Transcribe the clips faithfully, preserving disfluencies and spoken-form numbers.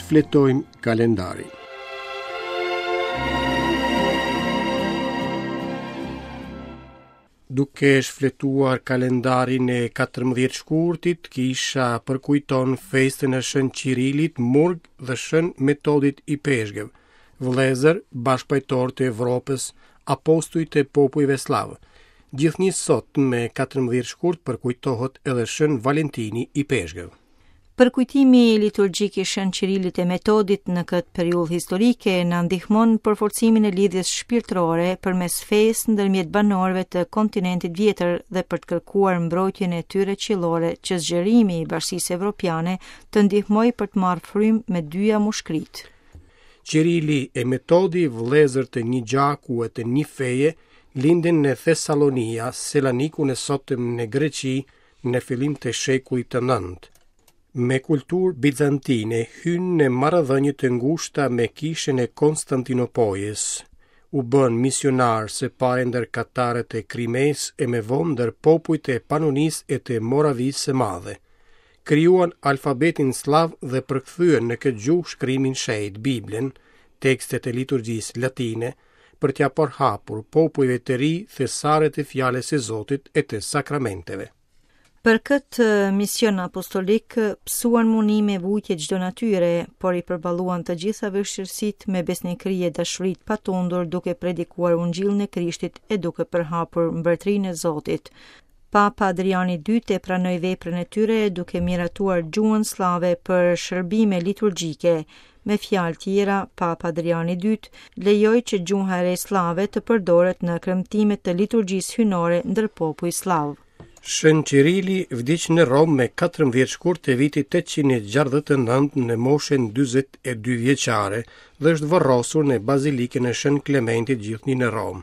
Shfletojmë kalendarin. Duke shfletuar kalendarin e katërmbëdhjetë shkurtit, kisha përkujton festën e Shën Qirilit, Murg dhe Shën Metodit Ipeshkëv, vëllezër, bashkëpajtorë të Evropës, apostujt e popujve sllavë. Gjithnjë sot me katërmbëdhjetë shkurt përkujtohet edhe Shën Valentini Ipeshkëv. Përkujtimi liturgjik i Shën Qirilit e Metodit në këtë periudhë historike na ndihmon për forcimin e lidhjes shpirtërore përmes fesë ndërmjet banorëve të kontinentit vjetër dhe për të kërkuar mbrojtjen e tyre qiellore që zgjerimi i Bashkisë Evropiane të ndihmojë për të marrë frymë me dyja mushkëritë. Qirili e Metodi, vëllezër të një gjaku e të një feje, lindën në Thessalonia, Selanikun e sotëm në Greqi, në fillim të shekullit të nëntë. Me kulturë bizantine hyn në marrëdhënie të ngushta me kishën e Konstantinopojës, u bën misionar së pari ndër katarët e Krimes e me vonë ndër popujt e Panonisë e të Moravisë së Madhe. Krijuan alfabetin sllav dhe përkthyen në këtë gjuhë shkrimin shenjt, Biblën, tekstet e liturgjisë latine, për t'ia përhapur popujve të ri thesaret e fjalës së Zotit e të sakramenteve. Për këtë mision apostolik pësuan mundime e vujtje çdo natyre, por i përballuan të gjitha vështirësitë me besnikëri e dashuri të patundur, duke predikuar ungjillin e Krishtit e duke përhapur mbretërinë e Zotit. Papa Adriani i dytë e pranoi veprën e tyre duke miratuar gjuhën sllave për shërbime liturgjike. Me fjalë tjera, Papa Adriani i dytë lejoi që gjuha e re sllave të përdoret në kremtimet të liturgjisë hyjnore ndër popuj sllav. Shën Qirili vdiq në Romë me katërmbëdhjetë shkurt të vitit tetëqind e gjashtëdhjetë e nëntë në moshën dyzet e dy vjeçare dhe është varrosur në Bazilikën e Shën Klementit gjithnjë në Romë.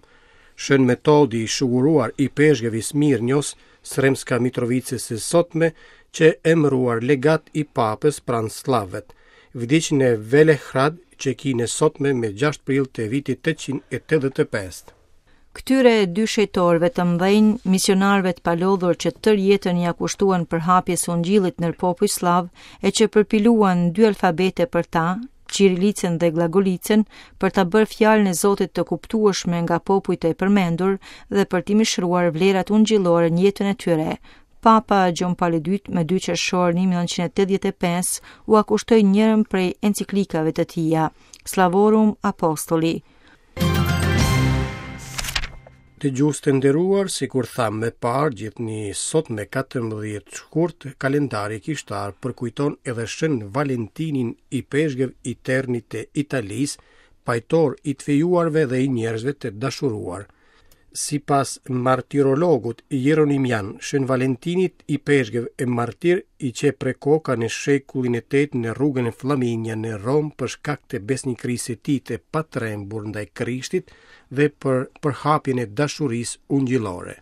Shën Metodi i shuguruar ipeshkëv i Smirnjos, Sremska Mitrovicës së sotme, që emëruar legat i papës pranë sllavët, vdiq në Velehrad, Çekinë e sotme me gjashtë prill të vitit tetëqind e tetëdhjetë e pesë. Këtyre dy shejtorëve të mëdhenj, misionarëve të palodhur që tërë jetën ia kushtuan përhapjes së ungjillit në popuj sllav e që përpiluan dy alfabete për ta, Qirilicën dhe Glagolicën, për ta bërë fjalën e Zotit të kuptueshme nga popujt e përmendur dhe për t'i mishruar vlerat ungjillore në jetën e tyre. Papa Gjon Pali i dytë me dy qershor një mijë e nëntëqind e tetëdhjetë e pesë ua kushtoi njërën prej enciklikave të tija, Slavorum Apostoli. Dëgjues të nderuar, sikur thamë më parë, gjithnjë sot me katërmbëdhjetë shkurt, kalendari kishtar përkujton edhe Shën Valentinin ipeshkëv i Ternit të Italisë, pajtor i të fejuarve dhe i njerëzve të dashuruar. Sipas martirologut Jeronimian, Shën Valentinit ipeshkëv e martir i qe pre koka në shekullin e tetë në rrugën e Flaminia në Romë për shkak të besnikërisë së tij të patrembur ndaj Krishtit dhe për përhapjen e dashurisë ungjillore.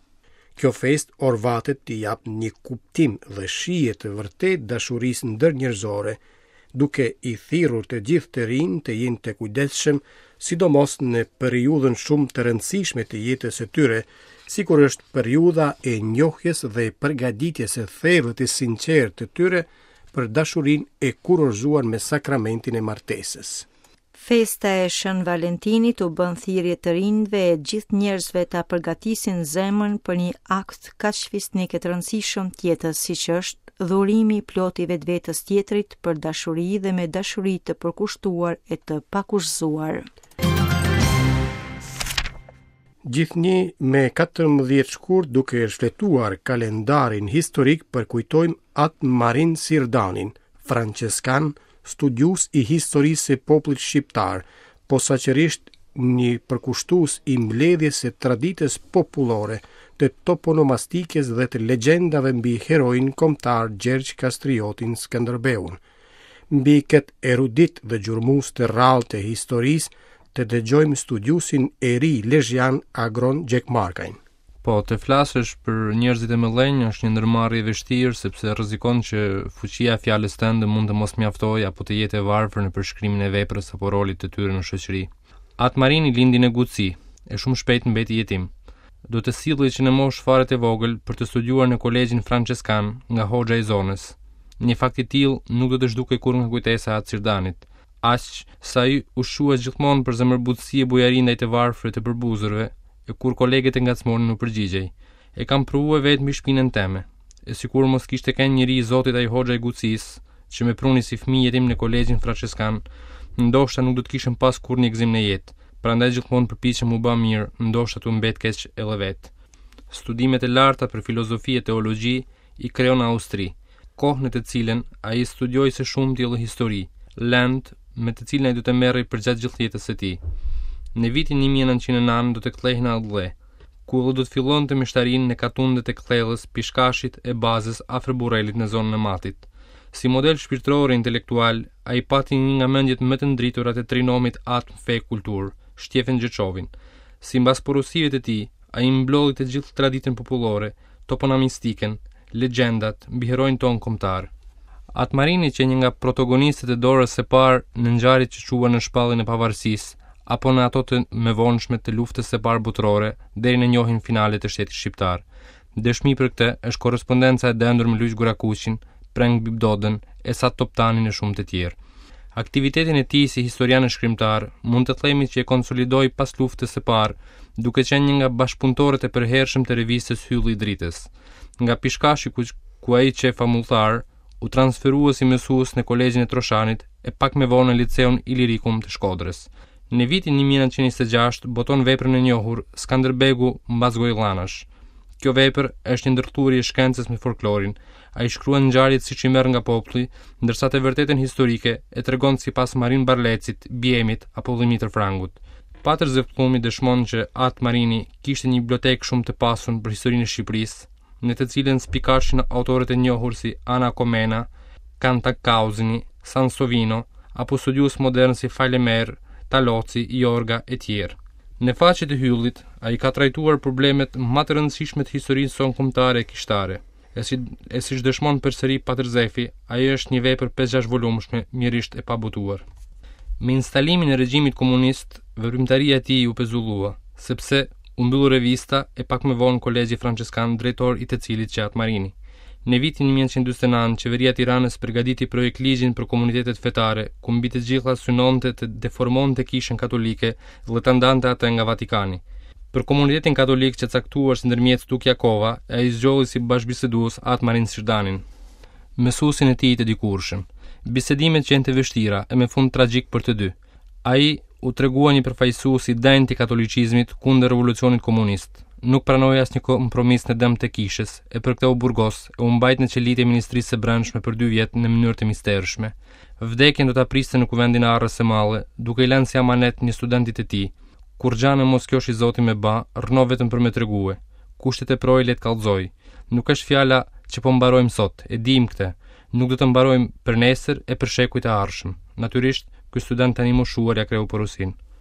Kjo festë orvatet t'i jap një kuptim dhe shije të vërtetë dashurisë ndërnjerëzore, duke i thirrur të gjithë të rinj të jenë të kujdesshëm, sidomos në periudhën shumë të rëndësishme të jetës së tyre, sikur është periudha e njohjes dhe përgatitjes së thellë të sinqertë të tyre për dashurinë e kurorzuar me sakramentin e martesës. Festa e Shën Valentinit u bën thirrje të rinjve e gjithë njerëzve ta përgatisin zemrën për një akt kaq fisnik e të rëndësishëm të jetës, siç është dhurimi i plotë i vetvetes tjetrit për dashuri dhe me dashuri të përkushtuar e të pakushtëzuar. Gjithnjë me katërmbëdhjetë shkurt, duke shfletuar kalendarin historik, përkujtojmë Atë Marin Sirdanin, franceskan, studiues i historisë së popullit shqiptar, posaçërisht një përkushtues i mbledhjes së traditës popullore, të toponomastikës dhe të legjendave mbi heroin kombëtar Gjergj Kastriotin Skënderbeun. Mbi këtë erudit dhe gjurmues të rrallë të historisë, të dëgjojmë studiuesin e ri lezhjan Agron Gjekmarkajn. Po, të flasësh për njerëzit e mëdhenj është një ndërmarrje e vështirë sepse rrezikon që fuqia e fjalës tënde mund të mos mjaftojë apo të jetë e varfër në përshkrimin e veprës apo rolit të tyre në shoqëri. Atë Marini lindi në Guci, e shumë shpejt mbeti jetim. Do të sillej që në moshë fare të vogël për të studiuar në kolegjin franceskan nga hoxha i zonës. Një fakt i tillë nuk do të zhdukej kurrë nga kujtesa e Atë Sirdanit, Aq sa ai u shua gjithmonë për zemërbutësi e bujari ndaj të varfërve të përbuzurve, e kur kolegët e ngacmonin u përgjigjej. E kam provuar vetë mbi shpinën teme. E sikur mos kishte qenë njeri i Zotit ai hoxha i Gucisë, që me pruni si fëmijë jetim në kolegjin Franceskan, ndoshta nuk do të kishim pas kurrë një gëzim në jetë. Prandaj gjithmonë përpiqem u bë mirë, ndoshta tu mbet keq edhe vet. Studimet e larta për filozofi e teologji i kreu në Austri, kohë në të cilën ai studioi së shumti edhe histori, lëndë me të cilën ai do të merrej përgjatë gjithë jetës së tij. Në vitin një mijë e nëntëqind e nëntë do të kthehej në atdhe, ku edhe do të fillonte meshtarinë në katundet e Kthellës, Pishkashit e Bazës afër Burrelit në zonën e Matit. Si model shpirtëror e intelektual, ai pati një nga mendjet më të ndritura të trinomit atm fe kulturë, Shtjefen Gjeçovin. Simbas porosive të tij, ai mblodhi të gjithë traditën popullore, toponamistikën, legjendat mbi heroin ton kombëtar. At Marini qe një nga protagonistët e dorës së parë në ngjarjet që çuan në shpalljen e pavarësisë, apo në ato të mëvonshme të luftës së parë botërore, deri në njohjen finale të shtetit shqiptar. Dëshmi për këtë është korrespondenca e dendur me Luigj Gurakuqin, Preng Bibdodën, Esat Toptanin e shumë të tjerë. Aktivitetin e tij si historian e shkrimtar mund të themi që e konsolidoi pas luftës së parë, duke qenë një nga bashkëpunëtorët e përhershëm të revistës Hylli i Dritës. Nga Pishkashi ku, ku ai qe famulltar, u transferua si mësues në kolegjin e Troshanit e pak më vonë në liceun Ilirikum të Shkodrës. Në vitin një mijë e nëntëqind e njëzet e gjashtë boton veprën e njohur Skanderbegu mbas Gojllanash. Kjo vepër është një ndërthurje e shkencës me folklorin. Ai shkruan ngjarjet siç i merr nga populli, ndërsa të vërtetën historike e tregon sipas Marin Barlecit, Biemit apo Dhimitër Frangut. Patër Zef Pllumi dëshmon që At Marini kishte një bibliotekë shumë të pasur për historinë e Shqipërisë, në të cilën spikashin autorët e njohur si Ana Komena, Kantakauzini, Sansovino apo studiues modern si Falemer, Taloci, Jorga e tjerë. Në faqet e Hyllit, ai ka trajtuar problemet më të rëndësishme të historisë sonë kombëtare e kishtare. E si, e siç dëshmon përsëri Patër Zefi, ajo është një vepër pesë gjashtë volumshme, mjerisht e pabotuar. Me instalimin e regjimit komunist, veprimtaria e tij u pezullua, sepse u mbyll revista e pak më vonë kolegji franceskan, drejtor i të cilit qe At Marini. Në vitin një mijë e nëntëqind e dyzet e nëntë, qeveria e Tiranës përgatiti projektligjin për komunitetet fetare, ku mbi të gjitha synonte të deformonte kishën katolike dhe ta ndante atë nga Vatikani. Për komunitetin katolik që caktuar si ndërmjet Tuk Jakova, ai zgjodhi si bashkëbisedues At Marin Sirdanin, mësuesin e tij të dikurshëm. Bisedimet qenë të vështira e me fund tragjik për të dy. Ai u tregua një përfaqësues i denjë i katolicizmit kundër revolucionit komunist. Nuk pranoi asnjë kompromis në dëm të kishës, e për këtë u burgos e u mbajt në qelitë e Ministrisë së Brendshme për dy vjet në mënyrë të mistershme. Vdekjen do ta priste në kuvendin e Arrës së Madhe, duke i lënë si amanet një studentit të tij. Kur gjanë mos kjosh i Zoti me ba, rrno vetëm për me tregue. Kushtet e proj le të kallzoj. Nuk është fjala që po mbarojmë sot, e dim këtë. Nuk do të mbarojmë për nesër e për shekujt e ardhshëm. Natyrisht, ky student tani moshuar ja kreu porosinë.